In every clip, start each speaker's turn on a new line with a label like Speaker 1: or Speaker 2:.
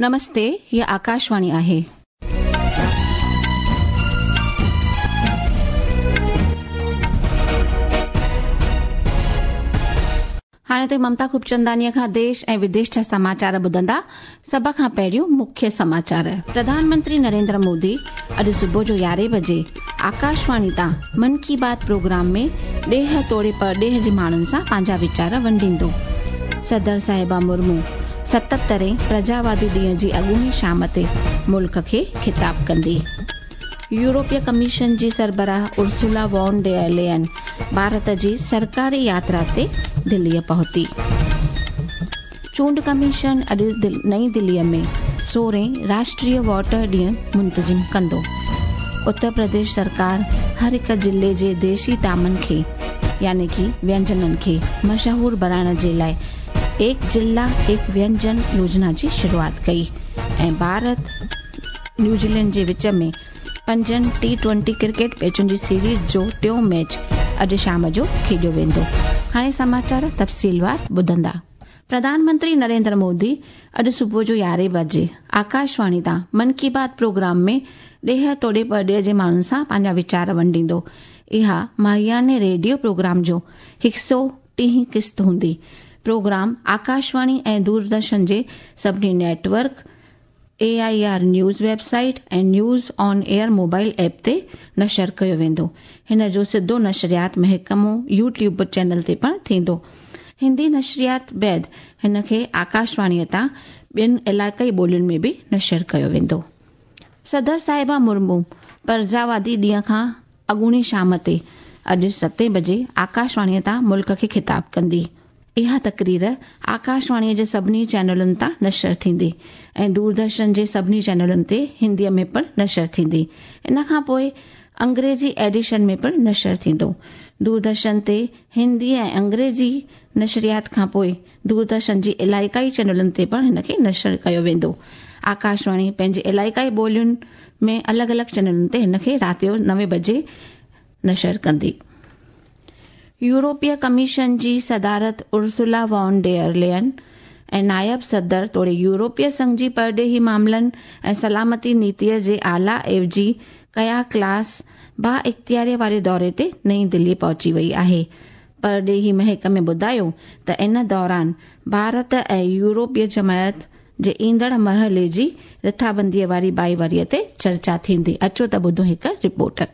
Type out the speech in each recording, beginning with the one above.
Speaker 1: नमस्ते, हीअ आकाशवाणी आहे. हाणे ते ममता खूबचंदानीअ खां देश ऐं विदेश जा समाचार ॿुधंदा। सभ खां पहिरियों मुख्य समाचार। प्रधानमंत्री नरेंद्र मोदी अॼु सुबुह जो 11 बजे आकाशवाणी तां मन की बात प्रोग्राम में ॾेह तोड़े परॾेह जे माण्हुनि सां पंहिंजा वीचार वंडींदो। सदर साहिबा मुर्मू 77 प्रजावादी ॾींहं जी अॻूणी शाम ते मुल्क खे ख़िताब कंदी। यूरोपीय कमीशन जी सरबराह उर्सुला वॉन डेयर लेयन भारत जी सरकारी यात्रा ते दिल्लीअ पहुती। चूंड कमीशन अॼु नई दिल्लीअ में 16 राष्ट्रीय वॉटर ॾींहुं मुंतज़िम कंदो। उत्तर प्रदेश सरकार हर हिक ज़िले जे देशी तामनि खे यानी कि व्यंजननि खे मशहूर बणाइण जे लाइ एक जिला एक व्यंजन योजना जी शुरूआत कई। ऐं भारत न्यूज़ीलैंड जे विच में 5 T20 cricket मैचुनि जी सीरीज़ जो टियों मैच अॼु शाम जो खेॾियो वेंदो। हाणे समाचार तफ़सीलवार ॿुधंदा। प्रधानमंत्री नरेंद्र मोदी अॼु सुबुह जो 11 बजे आकाशवाणी तां मन की बात प्रोग्राम में ॾेह तोड़े परॾेह जे माण्हुनि सां पंहिंजा वीचार वंडींदो। इहा माहियाने रेडियो प्रोग्राम जो 130 क़िस्त हूंदी। प्रोग्राम आकाशवाणी ऐं दूरदर्शन जे सभिनी network, AIR news website ऐं news on air mobile app ते नशर कयो वेंदो। हिन जो सिधो नशरियात महकमो यूट्यूब चैनल ते पिणु थींदो। हिंदी नशरियात बाद हिन खे आकाशवाणीअ तां ॿियनि इलाइक़ाई ॿोलियुनि में बि नशर कयो वेंदो। सदर साहिबा मुर्मू प्रजावादी ॾींहं खां अॻूणी शाम ते अॼु 7 बजे आकाशवाणीअ तां मुल्क खे ख़िताब कंदी। इहा तकरीर आकाशवाणीअ जे सभिनी चैनलुनि तां नशर थींदी ऐं दूरदर्शन जे सभिनी चैनलुनि ते हिंदीअ में पिणु नशर थींदी। इन खां पोइ अंग्रेजी एडिशन में पिणु नशर थींदो। दूरदर्शन ते हिंदी ऐं अंग्रेजी नशरियात खां पोइ दूरदर्शन जी इलाइक़ाई चैनलुनि ते पिणु हिनखे नशर कयो वेंदो। आकाशवाणी पंहिंजे इलाइक़ाई ॿोलियुनि में अलॻि अलॻि चैनलुनि ते हिनखे राति जो 9 बजे नशर कंदी। यूरोपीय कमीशन जी सदारत उर्सुला वॉन डेयर लेयन ऐं नायब सदर तोड़े यूरोपीय संघ जी परॾेही मामलनि ऐं सलामती नीतीअ जे आला एवजी कया क्लास बा इख़्तियारीअ वारे दौरे ते नई दिल्ली पहुची वई आहे। परॾेही महकमे ॿुधायो त इन दौरान भारत ऐं यूरोपीय जमायत जे ईंदड़ मरहले जी रिथाबंदीअ वारी भाईवारीअ ते चर्चा थींदी। अचो त ॿुधूं हिकु रिपोर्ट।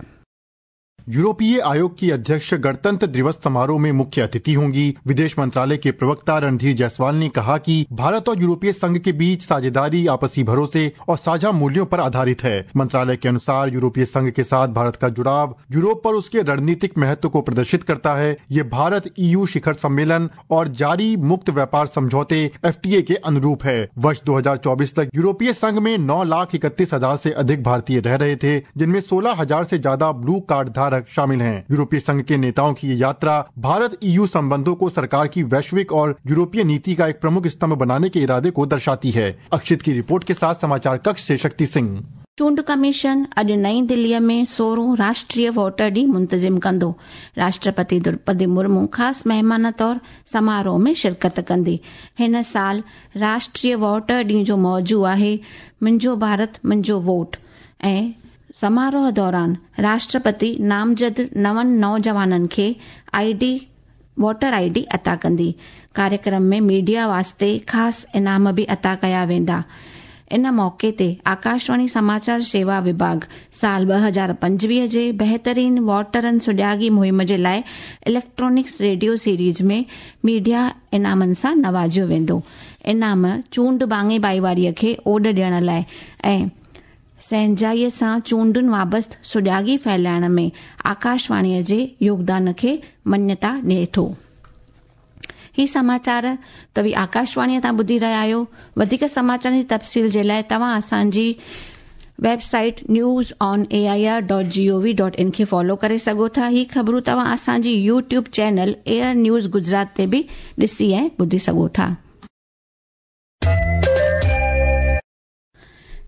Speaker 2: यूरोपीय आयोग की अध्यक्ष गणतंत्र दिवस समारोह में मुख्य अतिथि होंगी। विदेश मंत्रालय के प्रवक्ता रणधीर जायसवाल ने कहा कि भारत और यूरोपीय संघ के बीच साझेदारी आपसी भरोसे और साझा मूल्यों पर आधारित है। मंत्रालय के अनुसार यूरोपीय संघ के साथ भारत का जुड़ाव यूरोप पर उसके रणनीतिक महत्व को प्रदर्शित करता है। ये भारत ईयू शिखर सम्मेलन और जारी मुक्त व्यापार समझौते FTA के अनुरूप है। वर्ष 2024 तक यूरोपीय संघ में 9,31,000 से अधिक भारतीय रह रहे थे, जिनमें 16,000 से ज्यादा ब्लू कार्ड धारक शामिल हैं। यूरोपीय संघ के नेताओं की ये यात्रा भारत ईयू संबंधों को सरकार की वैश्विक और यूरोपीय नीति का एक प्रमुख स्तंभ बनाने के इरादे को दर्शाती है। अक्षित की रिपोर्ट के साथ समाचार कक्ष से शक्ति सिंह।
Speaker 1: चूंड कमीशन अॼु नई दिल्लीअ में 16 राष्ट्रीय वोटर ॾींहुं मुंतज़िम कंदो। राष्ट्रपति द्रौपदी मुर्मू ख़ासि महिमान तौर समारोह में शिरकत कंदी। हिन साल राष्ट्रीय वोटर ॾींहुं जो मौज़ू आहे मुंहिंजो भारत मुंहिंजो वोट ऐं समारोह दौरान राष्ट्रपति नामज़द नवनि नौजवाननि खे वोटर आईडी अता कंदी। कार्यक्रम में मीडिया वास्ते ख़ासि इनाम बि अता कया वेंदा। इन मौक़े ते आकाशवाणी समाचार सेवा विभाग साल 2025 जे बहितरीन वोटरनि सुॼागी मुहिम जे लाइ इलेक्ट्रॉनिक्स रेडियो सीरीज़ में मीडिया इनामनि सां नवाज़ियो वेंदो। इनाम चूंड बाङे भाईवारीअ खे ओॾ ॾियण लाइ ऐं सहंजाईअ सां चूंडुनि वाबस्त सुॼागी फैलाइण में आकाशवाणीअ जे योगदान खे मन्यता ॾिए थो। ही समाचार तव्हीं आकाशवाणीअ तां ॿुधी रहिया आहियो। वधीक समाचारनि जी तफ़सील जे लाइ तव्हां असांजी वेबसाइट newsonair.gov.in खे फॉलो करे सघो था। ही ख़बरूं तव्हां असांजी YouTube channel air news Gujarat ते बि ॾिसी ऐं ॿुधी सघो था।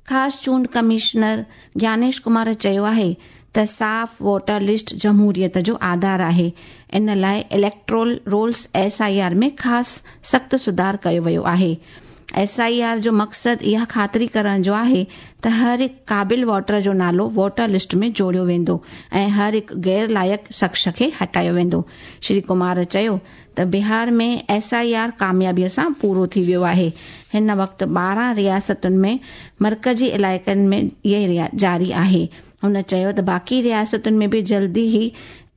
Speaker 1: ख़ासि चूंड कमिश्नर ज्ञानेश कुमार चयो आहे त साफ़ वोटर लिस्ट जमहूरियत जो आधार आहे। इन लाइ इलेक्ट्रोल रोल्स SIR में ख़ासि सख़्तु सुधार कयो वियो आहे। एस I R जो मक़सदु इहा ख़ातिरी करण जो आहे त हर हिकु क़ाबिल वोटर जो नालो वोटर लिस्ट में जोड़ियो वेंदो ऐं हर हिकु गैर लाइक़ शख़्स खे हटायो वेंदो। श्री कुमार चयो त बिहार में एस I R कामयाबीअ सां पूरो थी वियो आहे। हिन वक़्तु 12 रियासतुनि में मर्कज़ी इलाइक़नि में इहे जारी आहे। हुन चयो त बाक़ी रियासतुनि में बि जल्दी ई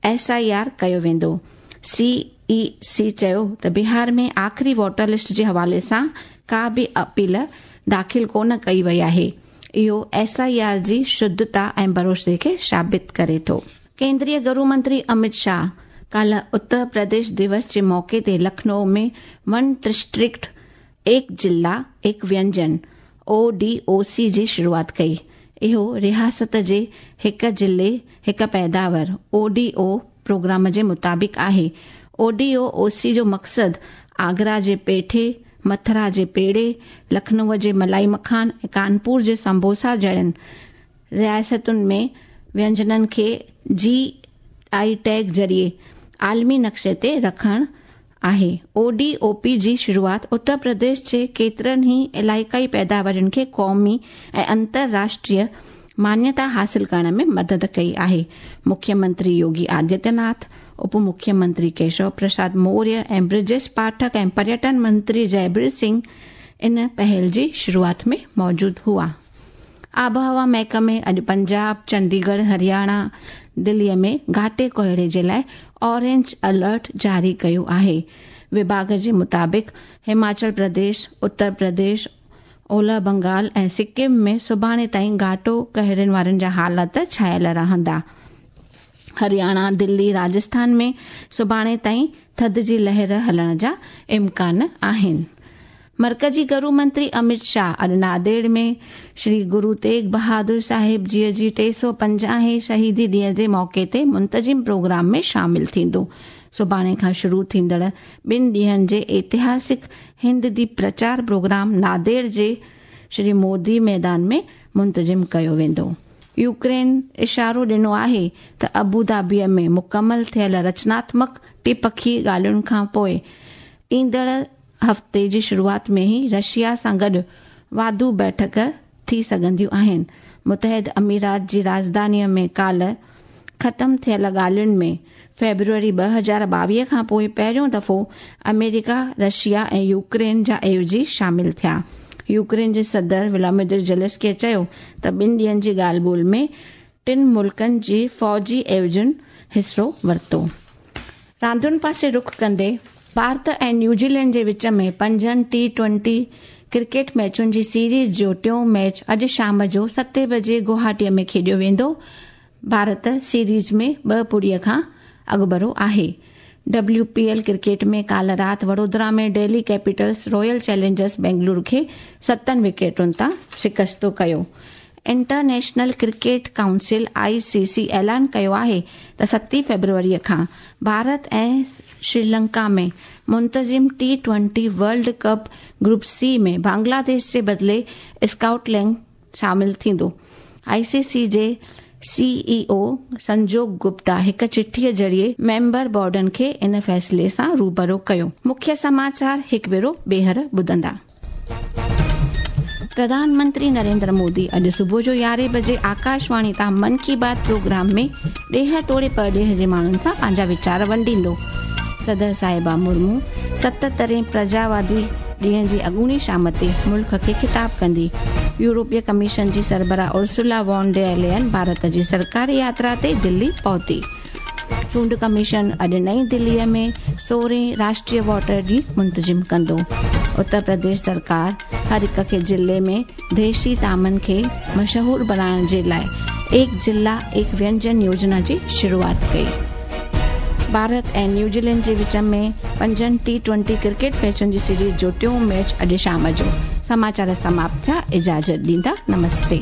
Speaker 1: एस I R कयो वेंदो। सी ई सी चयो त बिहार में आख़िरी वोटर लिस्ट जे हवाले सां का बि अपील दाख़िल कोन कई वई आहे। इहो एस I R जी शुद्धता ऐं भरोसे खे साबित करे थो। केंद्रीय गृह मंत्री अमित शाह काल्ह उत्तर प्रदेश दिवस जे मौक़े ते लखनऊ में वन डिस्ट्रिक्ट एक जिला एक व्यंजन ओ डी ओ सी जी शुरूआत कई। इहो रियासत जे हिकु ज़िले हिकु पैदावार ओ डी ओ प्रोग्राम जे मुताबिक़ आहे। ओ डी ओ सी जो मक़सदु आगरा जे पेठे, मथुरा जे पेड़े, लखनऊ जे मलाई मखान ऐं कानपुर जे संबोसा जहिड़नि रियासतुनि में व्यंजननि खे जी I tag ज़रिए आलमी नक्शे ते रखणु आहे। O D O P G शुरूआत उत्तर प्रदेश जे केतिरनि ई इलाइक़ाई पैदावारुनि खे क़ौमी ऐं अंतरराष्ट्रीय मान्यता हासिल करण में मदद कई आहे। मुख्यमंत्री योगी आदित्यनाथ, उप मुख्यमंत्री केशव प्रसाद मौर्य ऐं ब्रिजेश पाठक ऐं पर्यटन मंत्री जयबीर सिंह इन पहल जी शुरूआत में मौजूद हुआ। आबहवा महकमे अॼु पंजाब, चंडीगढ़, हरियाणा, दिल्लीअ में घाटे कोहरे जे लाइ ऑरेंज अलर्ट जारी कयो आहे। विभाग जे मुताबिक़ हिमाचल प्रदेश, उत्तर प्रदेश, ओलह बंगाल ऐं सिक्किम में सुभाणे ताईं घाटो कहरनि वारनि जा हालात छायल रहंदा। हरियाणा, दिल्ली, राजस्थान में सुभाणे ताईं थधि जी लहर हलण जा इम्कान आहिनि। मर्कज़ी गृह मंत्री अमित शाह अॼु नांदेड़ में श्री गुरु तेग बहादुर साहिब जीअ जी 350 शहीदी ॾींहं जे मौक़े ते मुंतज़िम प्रोग्राम में शामिल थींदो। सुभाणे खां शुरू थींदड़ ॿिनि ॾींहंनि जे ऐतिहासिक हिंद दी प्रचार प्रोग्राम नांदेड़ जे श्री मोदी मैदान में मुंतज़िम कयो वेंदो। यूक्रेन इशारो ॾिनो आहे त अबू धाबीअ में मुकमल थियल रचनात्मक टिपखी ॻाल्हियुनि खां पोइ ईंदड़ हफ़्ते जी शुरूआत में ई रशिया सां गॾु वाधू बैठक थी सघंदियूं आहिनि। मुतहद अमीरात जी राजधानीअ में काल्ह ख़तम थियल ॻाल्हियुनि में फेब्रुअरी 2022 खां पोइ पहिरियों दफ़ो अमेरिका, रशिया ऐं यूक्रेन जा एवज़ी शामिल थिया। यूक्रेन जे सदर व्लादिमीर ज़ेलेंस्की चयो त ॿिनि ॾींहंनि जी ॻाल्हि ॿोल में टिनि मुल्कनि जी फ़ौजी एवज़ुनि हिसो वरितो। रांदियुनि पासे रुख कंदे भारत ऐं न्यूज़ीलैंड जे विच में पंजनि T20 cricket मैचुनि जी सीरीज़ जो टियों मैच अॼु शाम जो 7 बजे गुवाहाटीअ में खेॾियो वेंदो। भारत सीरीज़ में 2-0 खां अॻुभरो आहे। WPL cricket में काल्ह राति वडोदरा में Delhi Capitals Royal Challengers Bengaluru खे 7 विकेटुनि तां शिकस्त कयो। इंटरनेशनल क्रिकेट काउंसिल ICC ऐलान कयो आहे त 7 फेब्रुअरीअ खां भारत ऐं श्रीलंका में मुंतज़िम T20 world cup group C में बांग्लादेश जे बदिले स्कॉटलैंड शामिल थींदो। ICC जे CEO संजोग गुप्ता हिकु चिठीअ ज़रिए मेंबर बोर्डनि खे इन फ़ैसिले सां रूबरू कयो। मुख्य समाचार हिकु भेरो ॿीहर ॿुधंदा। प्रधानमंत्री नरेंद्र मोदी अॼु सुबुह जो 11 बजे आकाशवाणी तां मन की बात प्रोग्राम में ॾेह तोड़े परॾेह जे माण्हुनि सां पंहिंजा वीचार वंडींदो। सदर साहिबा मुर्मू 77 प्रजावादी ॾींहं जी अॻूणी शाम ते मुल्क खे ख़िताब कंदी। यूरोपीय कमीशन जी सरबराह उर्सुला वॉन डेर लेयन भारत जी सरकारी यात्रा ते दिल्ली पहुती। चूंड कमीशन अॼु नई दिल्लीअ में 16 राष्ट्रीय वोटर ॾींहुं मुंतज़िम कंदो। उत्तर प्रदेश सरकार हर हिक खे ज़िले में देशी तामनि खे मशहूर बणाइण जे लाइ एक जिला एक व्यंजन योजना जी शुरूआत कई। भारत ऐं न्यूज़ीलैंड जे विच में पंजनि T20 cricket मैचुनि जी सीरीज़ जो टियों मैच अॼु शाम जो। समाचार समाप्त थिया। इजाज़त ॾींदा। नमस्ते।